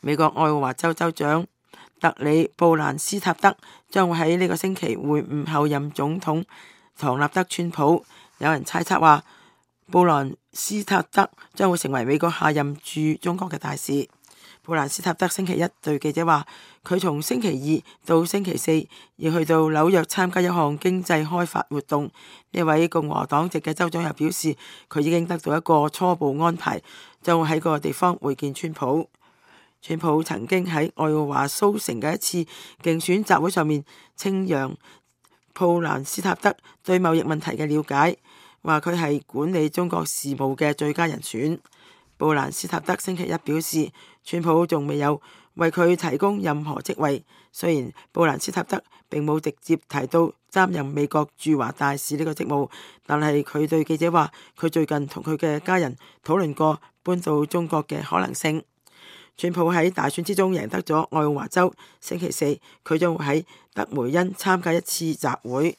美國愛奧華州州長特里布蘭斯塔德將會喺呢個星期會晤後任總統唐納德川普。有人猜測話，布蘭斯塔德將會成為美國下任駐中國嘅大使。布蘭斯塔德星期一對記者話，佢從星期二到星期四要去到紐約參加一項經濟開發活動。呢位共和黨籍嘅州長又表示，佢已經得到一個初步安排，將會喺嗰個地方會見川普。川普曾經喺愛奧華蘇城嘅一次競選集會上面稱揚布蘭斯塔德對貿易問題嘅了解，話佢係管理中國事務嘅最佳人選。布蘭斯塔德星期一表示，川普仲未有為佢提供任何職位。雖然布蘭斯塔德並冇直接提到擔任美國駐華大使呢個職務，但係佢對記者話，佢最近同佢嘅家人討論過搬到中國嘅可能性。川普喺大選之中贏得咗愛奧華州，星期四佢將會喺德梅恩參加一次集會。